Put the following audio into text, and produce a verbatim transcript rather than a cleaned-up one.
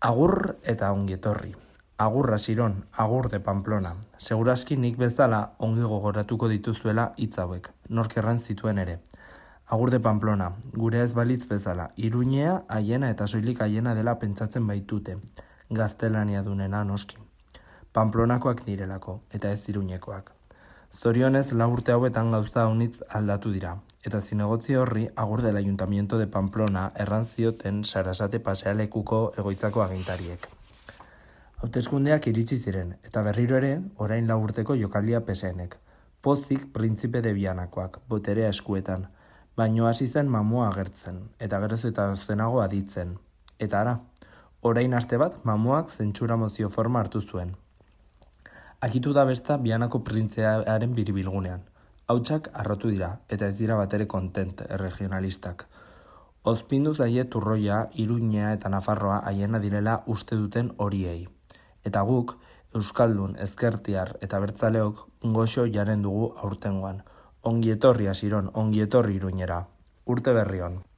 Agur eta ongietorri. Agur Asiron, agur de Pamplona. Segurazki nik bezala ongi gogoratuko dituzuela hitz hauek, nork erran zituen ere. Agur de Pamplona, gure ez balitz bezala, Iruñea haiena eta soilik haiena dela pentsatzen baitute, gaztelania dunena noski. Pamplonakoak direlako, eta ez Iruñekoak. Zorionez lau urte hauetan gauza honitz aldatu dira, eta zinegotzi horri agur del Ayuntamiento de Pamplona erran zioten Sarasate pasealekuko egoitzako agintariek. Hauteskundeak iritsi ziren, eta berriro ere, orain lau urteko jokaldia peseenek. Pozik printzipe de Bianakoak, boterea eskuetan, baino hasi zen mamua agertzen, eta geroz eta zenago aditzen. Eta ara, orain aste bat mamuak zentsura mozio forma hartu zuen. Akitu da besta Bianako printzearen biribilgunean. Hautsak arrotu dira, eta ez dira batere kontent erregionalistak. Ozpindu zaie Turroia, Iruñea eta Nafarroa haiena direla uste duten horiei. Eta guk, Euskaldun, Ezkertiar eta Bertzaleok goxo jaren dugu aurtengoan. Ongietorri Asiron, ongietorri Iruñera. Urte berri on.